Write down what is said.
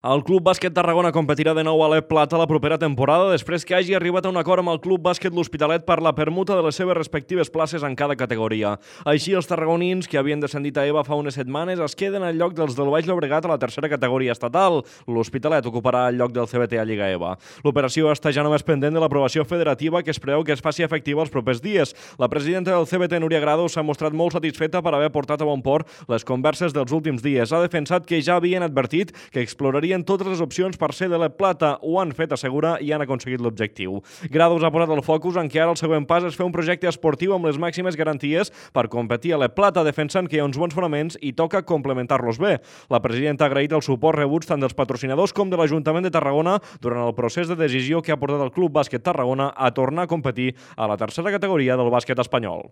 El Club Bàsquet Tarragona competirà de nou a l'E Plata la propera temporada després que hagi arribat a un acord amb el Club Bàsquet L'Hospitalet per la permuta de les seves respectives places en cada categoria. Així, els tarragonins, que havien descendit a EVA fa unes setmanes, es queden al lloc dels del Baix Llobregat a la tercera categoria estatal. L'Hospitalet ocuparà el lloc del CBT a Lliga EVA. L'operació està ja només pendent de l'aprovació federativa que es preveu que es faci efectiva els propers dies. La presidenta del CBT, Núria Grado, s'ha mostrat molt satisfeta per haver portat a bon port les converses dels últims dies. Ha defensat que ja havien advertit que explorarien totes les opcions per ser de l'E Plata. Ho han fet, assegura, i han aconseguit l'objectiu. Grados ha posat el focus en que ara el següent pas és fer un projecte esportiu amb les màximes garanties per competir a l'E Plata, defensant que hi ha uns bons fonaments i toca complementar-los bé. La presidenta ha agraït el suport rebuts tant dels patrocinadors com de l'Ajuntament de Tarragona durant el procés de decisió que ha portat el Club Bàsquet Tarragona a tornar a competir a la tercera categoria del bàsquet espanyol.